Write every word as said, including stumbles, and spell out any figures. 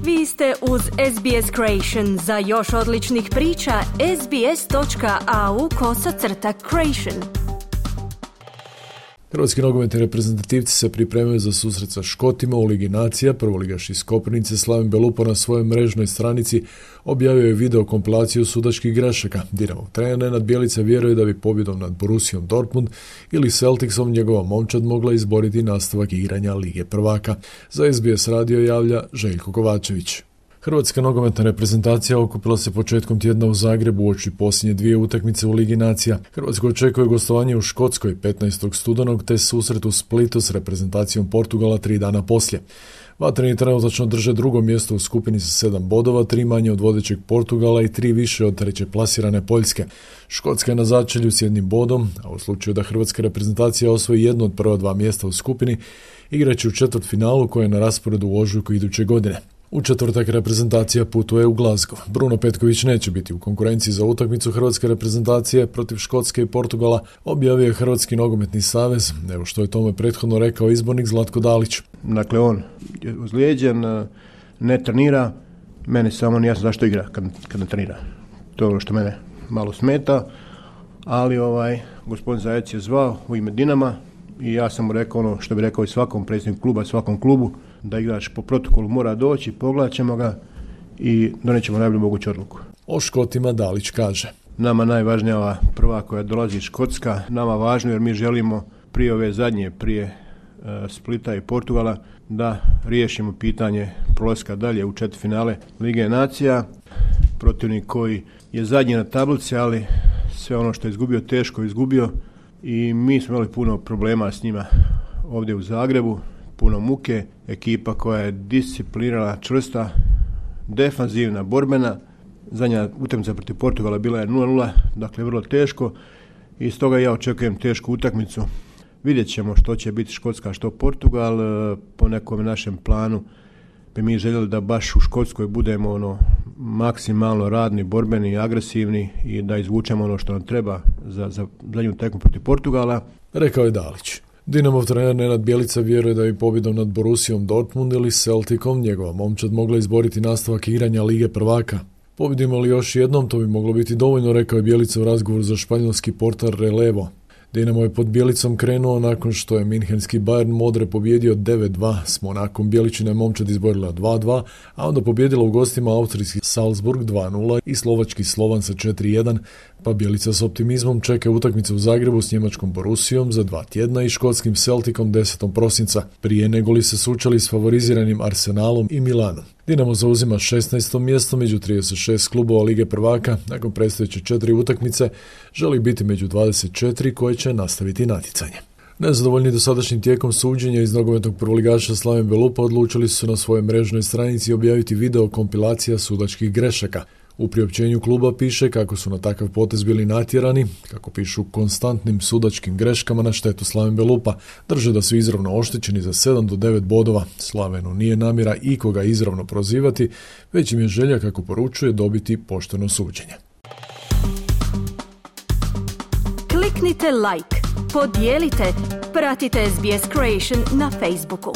Vi ste uz S B S Creation. Za još odličnih priča, sbs.au kosacrta creation. Hrvatski nogometni reprezentativci se pripremaju za susret sa Škotima u Ligi nacija. Prvoligaš iz Koprivnice Slaven Belupo na svojoj mrežnoj stranici objavio je video kompilaciju sudačkih grešaka. Dinamo trener Nenad Bjelica vjeruje da bi pobjedom nad Borussiom Dortmund ili Celticsom njegova momčad mogla izboriti nastavak igranja Lige prvaka. Za S B S radio javlja Željko Kovačević. Hrvatska nogometna reprezentacija okupila se početkom tjedna u Zagrebu uoči posljednje dvije utakmice u Ligi nacija. Hrvatsko očekuje gostovanje u Škotskoj petnaestog studenog te susret u Splitu s reprezentacijom Portugala tri dana poslije. Vatreni trenutačno drže drugo mjesto u skupini sa sedam bodova, tri manje od vodećeg Portugala i tri više od treće plasirane Poljske. Škotska je na začelju s jednim bodom, a u slučaju da hrvatska reprezentacija osvoji jedno od prva dva mjesta u skupini, igraće u četvrtfinalu koje je na rasporedu u ožujku iduće godine. U četvrtak reprezentacija putuje u Glasgow. Bruno Petković neće biti u konkurenciji za utakmicu hrvatske reprezentacije protiv Škotske i Portugala, objavio je Hrvatski nogometni savez, evo što je tome prethodno rekao izbornik Zlatko Dalić. Dakle, on je ozlijeđen, ne trenira, meni samo nije jasno zašto igra kad, kad ne trenira. To je ono što mene malo smeta, ali ovaj gospodin Zajec je zvao u ime Dinama i ja sam mu rekao ono što bi rekao i svakom predsjedniku kluba, svakom klubu, da igrač po protokolu mora doći, pogledat ćemo ga i donijet ćemo najbolju moguću odluku. O Škotima Dalić kaže: Nama najvažnija ova prva koja dolazi Škotska, nama važno jer mi želimo prije ove zadnje, prije uh, Splita i Portugala, da riješimo pitanje prolaska dalje u četvrtfinale Lige nacija. Protivnik koji je zadnji na tablici, ali sve ono što je izgubio teško izgubio i mi smo imali puno problema s njima ovdje u Zagrebu. Puno muke, ekipa koja je disciplinirana, čvrsta, defanzivna, borbena. Zadnja utakmica protiv Portugala bila je nula nula, dakle vrlo teško i stoga ja očekujem tešku utakmicu. Vidjet ćemo što će biti Škotska, što Portugal. Po nekom našem planu bi mi željeli da baš u Škotskoj budemo ono maksimalno radni, borbeni, agresivni i da izvučemo ono što nam treba za, za zadnju tekmu protiv Portugala. Rekao je Dalić. Dinamov trener Nenad Bjelica vjeruje da bi pobjedom nad Borussiom Dortmund ili Celticom njegova momčad mogla izboriti nastavak igranja Lige prvaka. Pobjedimo li još jednom, to bi moglo biti dovoljno, rekao je Bjelica u razgovoru za španjolski portal Relevo. Dinamo je pod Bjelicom krenuo nakon što je minhenski Bayern Modre pobjedio devet dva, s Monakom Bjeličina je momčad izborila dva dva, a onda pobjedila u gostima austrijski Salzburg dva nula i slovački Slovan sa četiri jedan, pa Bjelica s optimizmom čeka utakmicu u Zagrebu s njemačkom Borussiom za dva tjedna i škotskim Celticom desetog prosinca, prije nego li se sučali s favoriziranim Arsenalom i Milanom. Dinamo zauzima šesnaesto mjesto među trideset šest klubova Lige prvaka, nakon predstojeće četiri utakmice želi biti među dvadeset četiri koje će nastaviti natjecanje. Nezadovoljni dosadašnjim tijekom suđenja iz nogometnog prvoligaša Slaven Belupo odlučili su na svojoj mrežnoj stranici objaviti video kompilacija sudačkih grešaka. U priopćenju kluba piše kako su na takav potez bili natjerani, kako pišu konstantnim sudačkim greškama na štetu Slaven Belupa, drže da su izravno oštećeni za sedam do devet bodova. Slavenu nije namjera ikoga izravno prozivati, već im je želja, kako poručuje, dobiti pošteno suđenje. Kliknite like, podijelite, pratite S B S Creation na Facebooku.